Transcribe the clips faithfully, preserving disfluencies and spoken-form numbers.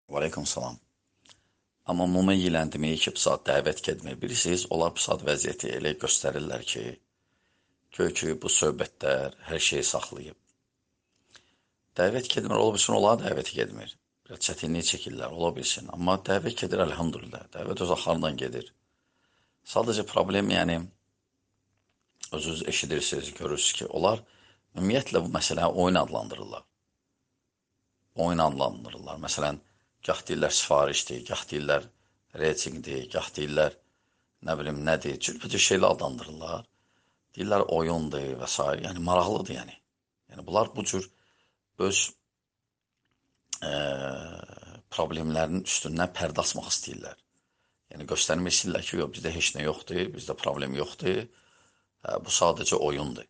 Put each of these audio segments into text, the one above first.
Aleyküm salam. Amma muma yiyələndirməyi ki, bu saat dəvət etmir. Bilirsiniz, onlar bu saat vəziyyəti elə göstərirlər ki, göy ki, bu söhbətlər hər şeyi saxlayıb. Dəvət etmir, ola bilsin, onlar dəvət etmir. Biraz çətinlik çəkirlər, ola bilsin. Amma dəvət edir, əlhamdülillah. Dəvət öz axarından gedir. Sadəcə problem, yəni, özünüz eşidirsiniz, görürsünüz ki, onlar ümumiyyətlə bu məsələni oyun adlandırırlar. Oyun adlandırırlar. Məsələn, gah deyirlər sifarişdir, gah deyirlər reytingdir, gah deyirlər nə bilim nədir, cürbəcür şeylə adlandırırlar. Deyirlər oyundur və s. Yəni maraqlıdır yəni. Yəni bunlar bu cür öz e, problemlərinin üstündən pərdə açmaq istəyirlər. Yəni göstərmək istəyirlər ki, yox, bizdə heç nə yoxdur, bizdə problem yoxdur, hə, bu sadəcə oyundur.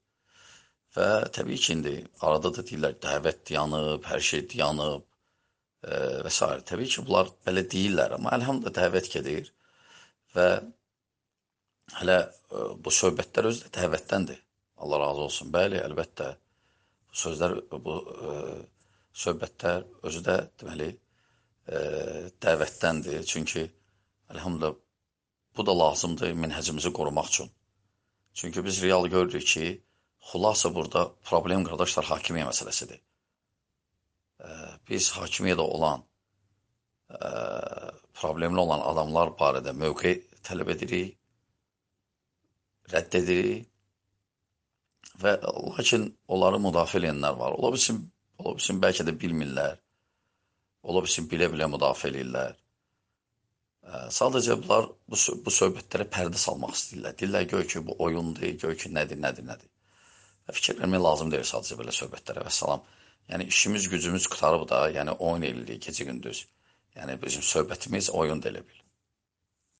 Və təbii ki, indi arada da deyirlər dəvət dayanıb, hər şey dayanıb e, və s. Təbii ki, bunlar belə deyirlər, amma əlhamdülillah dəvət gedir və hələ e, bu söhbətlər özü də dəvətdəndir. Allah razı olsun. Bəli, əlbəttə bu sözlər, bu e, söhbətlər özü də deməli e, dəvətdəndir. Çünki əlhamdülillah bu da lazımdır minhəcimizi qorumaq üçün. Çünki biz real görürük ki, xulasa burada problem qardaşlar hakimiyyə məsələsidir. Biz hakimiyyədə olan, problemli olan adamlar barədə mövqe tələb edirik, rədd edirik və lakin onları müdafiə edənlər var. Ola bilsin, ola bilsin bəlkə də bilmirlər, ola bilsin bilə-bilə müdafiə edirlər. Sadəcə bunlar bu, bu söhbətlərə pərdə salmaq istəyirlər. Deyirlər göy ki, bu oyundur, göy ki, nədir, nədir, nədir. Fikir vermək lazım deyil sadəcə belə söhbətlərə və salam. Yəni işimiz, gücümüz qutarıb da, yəni oyun eləyirik gecə gündüz. Yəni bizim söhbətimiz oyun da elə bil.